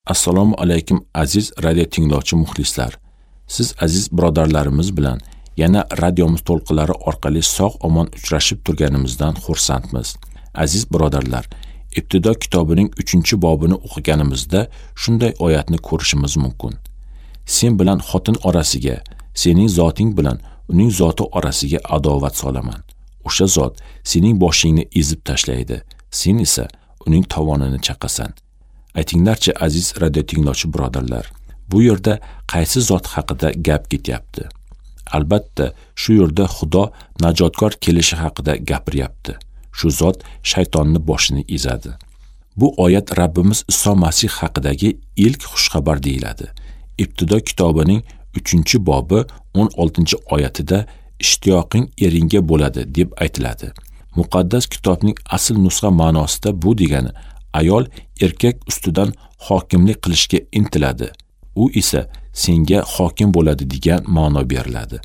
Assalomu alaykum aziz radio tinglovchi muxlislar. Siz aziz birodarlarimiz bilan yana radiomiz to'lqinlari orqali sog'-omon uchrashib turganimizdan xursandmiz. Aziz birodarlar, Ibtido kitobining 3-bobini o'qiganimizda shunday oyatni ko'rishimiz mumkin. Sen bilan xotin orasiga, sening zoting bilan uning zoti orasiga adovat solaman. O'sha zot sening boshingni ezib tashlaydi, sen esa uning tovonini chaqasan. Aytinglarchi aziz radio tinglovchi birodarlar, bu yerda qaysi zot haqida gap ketyapti? Albatta, shu yerda Xudo najotkor kelishi haqida gapiryapti. Shu zot shaytonni boshini ezadi. Bu oyat Rabbimiz Iso Masih haqidagi ilk xushxabar deyiladi. Ibtido kitobining 3-bobi 16-oyatida ishtiyoqing eringga bo'ladi deb aytiladi. Muqaddas kitobning asl nusxa ma'nosida bu degani ayol erkak ustidan hokimlik qilishga intiladi. U esa senga hokim bo'ladi degan ma'no beriladi.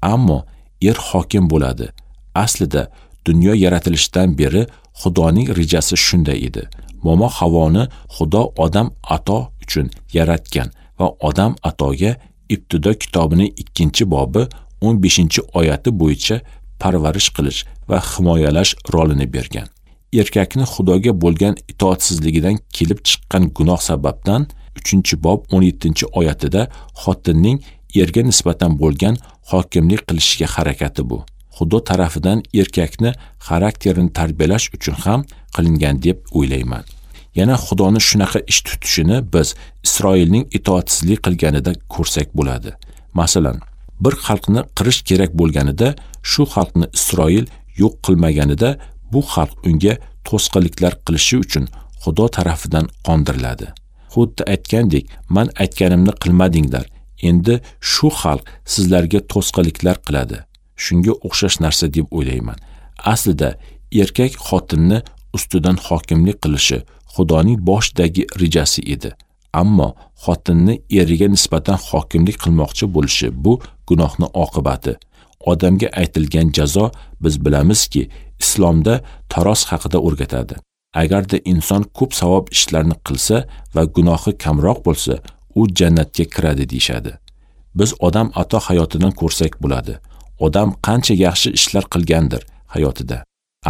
Ammo er hokim bo'ladi. Aslida dunyo yaratilishidan beri Xudoning rejasi shunday edi. Momo Havoni Xudo Odam ato uchun yaratgan va Odam atoga Ibtido kitobining 2-bobi 15-oyati bo'yicha parvarish qilish va himoyalash rolini bergan. Erkakni Xudoga bo'lgan itoatsizligidan kelib chiqqan gunoh sababdan 3-bob 17-oyatida xotinning erga nisbatan bo'lgan hokimlik qilishiga harakati bu. Xudo tarafidan erkakni xarakterini tarbiyalash uchun ham qilingan deb o'ylayman. Yana Xudoni shunaqa ish tutishini biz Isroilning itoatsizlik qilganida ko'rsak bo'ladi. Masalan, bir xalqni qirish kerak bo'lganida, shu xalqni Isroil yo'q qilmaganida bu xalq unga to'sqinliklar qilishi uchun Xudo tarafidan qondiriladi. Xuddi aytgandek, men aytganimni qilmadinglar, endi shu xalq sizlarga to'sqinliklar qiladi. Shunga o'xshash narsa deb o'ylayman. Aslida erkak xotinni ustidan hokimlik qilishi Xudoning boshidagi rejasi edi. Ammo xotinni eriga nisbatan hokimlik qilmoqchi bo'lishi bu gunohning oqibati. Odamga aytilgan jazo, biz bilamizki, islomda taroz haqida o'rgatadi. Agarda inson ko'p savob ishlarni qilsa va gunohi kamroq bo'lsa, u jannatga kiradi deyshadi. Biz Odam ato hayotidan ko'rsak bo'ladi. Odam qancha yaxshi ishlar qilgandir hayotida,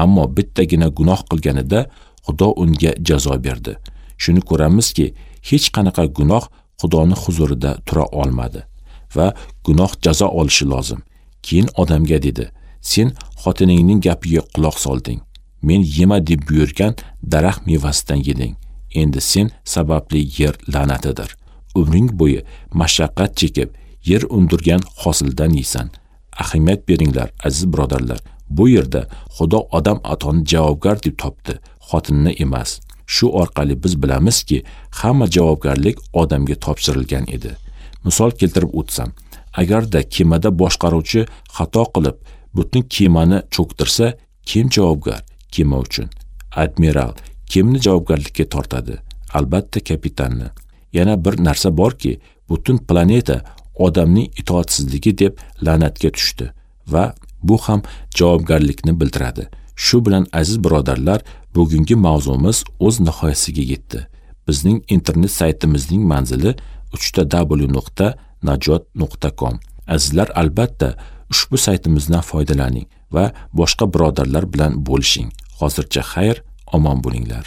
ammo bittagina gunoh qilganida Xudo unga jazo berdi. Shuni ko'ramizki, hech qanaqa gunoh Xudoning huzurida tura olmadi va gunoh jazo olishi lozim. Keyin odamga dedi: "Sen xotiningning gapiga quloq solding. Men yema deb buyurgan daraxt mevasidan yeding. Endi sen sababli yer la'natidir. Umring bo'yi mashaqqat chekib, yer undirgan hosildan yeysan." Ahamiyat beringlar, aziz birodarlar. Bu yerda Xudo Odam atoni javobgar deb topdi, xotinni emas. Shu orqali biz bilamizki, hamma javobgarlik odamga topshirilgan edi. Misol keltirib o'tsam, agarda kemada boshqaruvchi xato qilib, butun kemani cho'ktirsa, kim javobgar kema uchun? Admiral kimni javobgarlikka tortadi? Albatta kapitanni. Yana bir narsa borki, butun planeta odamning itoatsizligi deb la'natga tushdi va bu ham javobgarlikni bildiradi. Shu bilan aziz birodarlar, bugungi mavzumiz o'z nihoyasiga yetdi. Bizning internet saytimizning manzili www.najot.com. Azizlar, albatta ushbu saytimizdan foydalaning va boshqa birodarlar bilan bo'lishing. Hozircha xayr, omon bo'linglar.